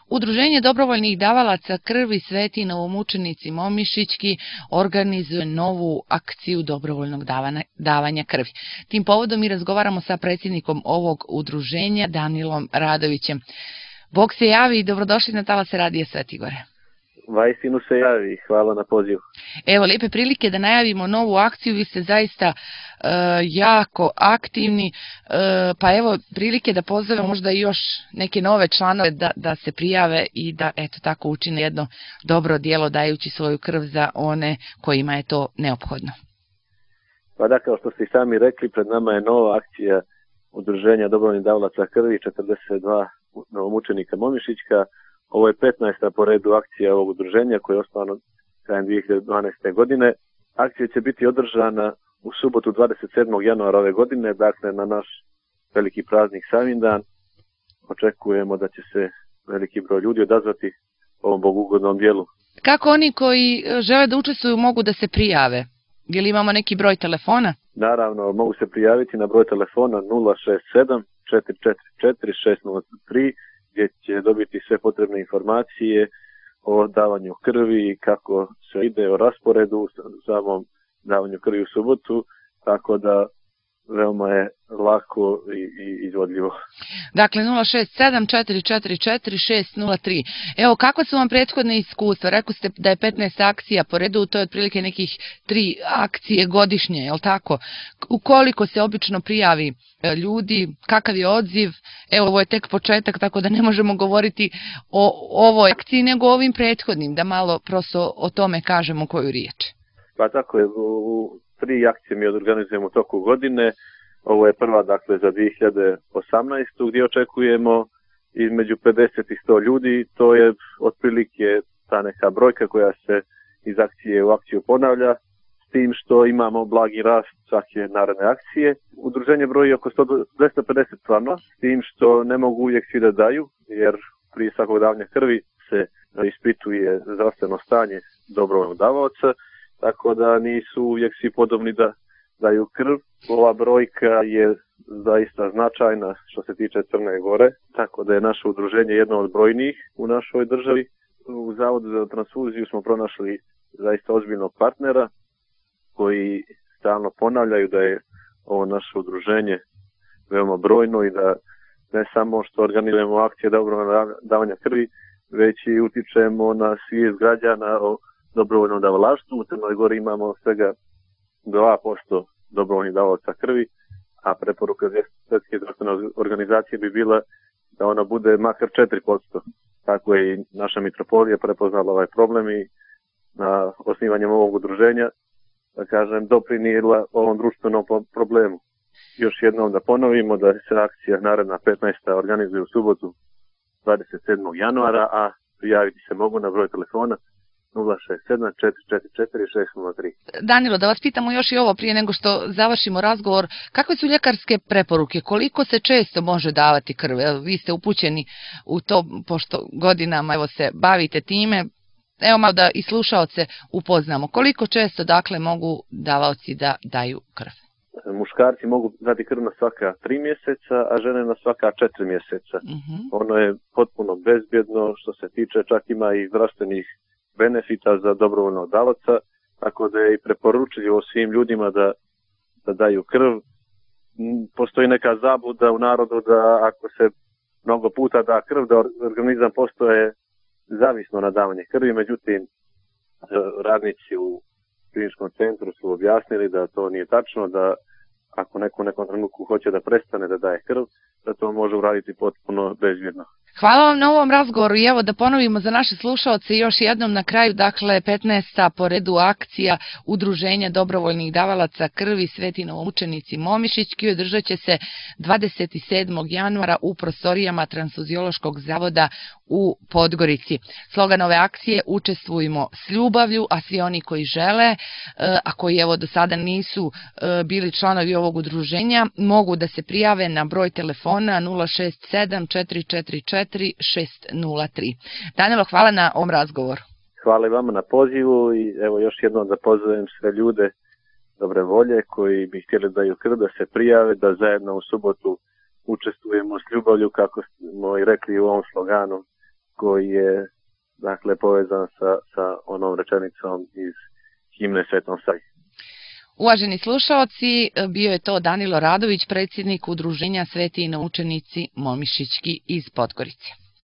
Udruženje dobrovoljnih davalaca krvi Sveti novomučenici Momišićki organizuje novu akciju dobrovoljnog davanja krvi. Tim povodom mi razgovaramo sa predsjednikom ovog udruženja, Danilom Radovićem. Bog se javi i dobrodošli na Talase radija Svetigore. Vajstinu se javi, hvala na pozivu. Evo, lijepe prilike da najavimo novu akciju, vi ste zaista jako aktivni, pa evo prilike da pozovemo možda i još neke nove članove da se prijave i da eto tako učine jedno dobro djelo dajući svoju krv za one kojima je to neophodno. Pa da, kao što ste i sami rekli, pred nama je nova akcija Udruženja dobrovoljnih davalaca krvi 42 novomučenika Momišićka. Ovo je 15. po redu akcija ovog udruženja koja je osnovano krajem 2012. godine. Akcija će biti održana u subotu 27. januara ove godine, dakle na naš veliki praznik Savindan. Očekujemo da će se veliki broj ljudi odazvati ovom bogugodnom dijelu. Kako oni koji žele da učestvuju mogu da se prijave? Ili imamo neki broj telefona? Naravno, mogu se prijaviti na broj telefona 067 444 603 gdje će dobiti sve potrebne informacije o davanju krvi, kako se ide o rasporedu, samom davanju krvi u subotu, tako da veoma je lako i izvodljivo. Dakle, 067 444 603. Evo, kakva su vam prethodne iskustva? Rekli ste da je 15 akcija po redu, to je otprilike nekih 3 akcije godišnje, je li tako? Ukoliko se obično prijavi ljudi, kakav je odziv? Evo, ovo je tek početak, tako da ne možemo govoriti o ovoj akciji, nego o ovim prethodnim, da malo prosto o tome kažemo koju riječ. Pa tako je, u 3 akcije mi organizujemo u toku godine. Ovo je prva, dakle, za 2018. gdje očekujemo između 50 i 100 ljudi. To je otprilike ta neka brojka koja se iz akcije u akciju ponavlja, s tim što imamo blagi rast svake naredne akcije. Udruženje broji oko 250 članova, s tim što ne mogu uvijek svi da daju, jer prije svakog davanja krvi se ispituje zdravstveno stanje dobrovoljnog davaoca, tako da nisu uvijek svi podobni da daju krv. Ova brojka je zaista značajna što se tiče Crne Gore, tako da je naše udruženje jedno od brojnijih u našoj državi. U Zavodu za transfuziju smo pronašli zaista ozbiljnog partnera koji stalno ponavljaju da je ovo naše udruženje veoma brojno i da ne samo što organizujemo akcije dobrovoljnog davanja krvi, već i utičemo na svijest građana o dobrovoljnom davalaštvu. U Crnoj Gori imamo svega 2% dobrovoljnih davalaca krvi, a preporuka Svjetske zdravstvene organizacije bi bila da ona bude makar 4%. Tako je i naša mitropolija prepoznala ovaj problem i na osnivanjem ovog udruženja, da kažem, doprinijela ovom društvenom problemu. Još jednom da ponovimo da se akcija naredna 15. organizuje u subotu 27. januara, a prijaviti se mogu na broj telefona 067 444 603. Danilo, da vas pitamo još i ovo prije nego što završimo razgovor. Kakve su ljekarske preporuke? Koliko se često može davati krv? Vi ste upućeni u to, pošto godinama evo se bavite time. Evo malo da i slušaoce upoznamo. Koliko često dakle mogu davaoci da daju krv? Muškarci mogu dati krv na svaka 3 mjeseca, a žene na svaka 4 mjeseca. Ono je potpuno bezbjedno, što se tiče, čak ima i zdravstvenih benefita za dobrovoljnog davaoca, tako da je i preporučljivo svim ljudima da daju krv. Postoji neka zabluda u narodu da ako se mnogo puta da krv, da organizam postoje zavisno na davanje krvi, međutim radnici u kliničkom centru su objasnili da to nije tačno, da ako neko u nekom trenutku hoće da prestane da daje krv, da to može uraditi potpuno bezbjedno. Hvala vam na ovom razgovoru i evo da ponovimo za naše slušaoce još jednom na kraju, dakle 15. po redu akcija Udruženja dobrovoljnih davalaca krvi Sveti novomučenici Momišićki održat će se 27. januara u prostorijama Transfuziološkog zavoda u Podgorici. Slogan ove akcije: učestvujmo s ljubavlju, a svi oni koji žele, a koji evo do sada nisu bili članovi ovog udruženja, mogu da se prijave na broj telefona 067 444 603. Danilo, hvala na ovom razgovoru. Hvala i vama na pozivu i evo još jednom da pozovem sve ljude dobre volje koji bi htjeli da daju krv, da se prijave, da zajedno u subotu učestvujemo s ljubavlju, kako smo i rekli u ovom sloganu koji je dakle povezan sa onom rečenicom iz himne Svetom Savi. Uvaženi slušaoci, bio je to Danilo Radović, predsjednik Udruženja Sveti naučenici Momišićki iz Podgorice.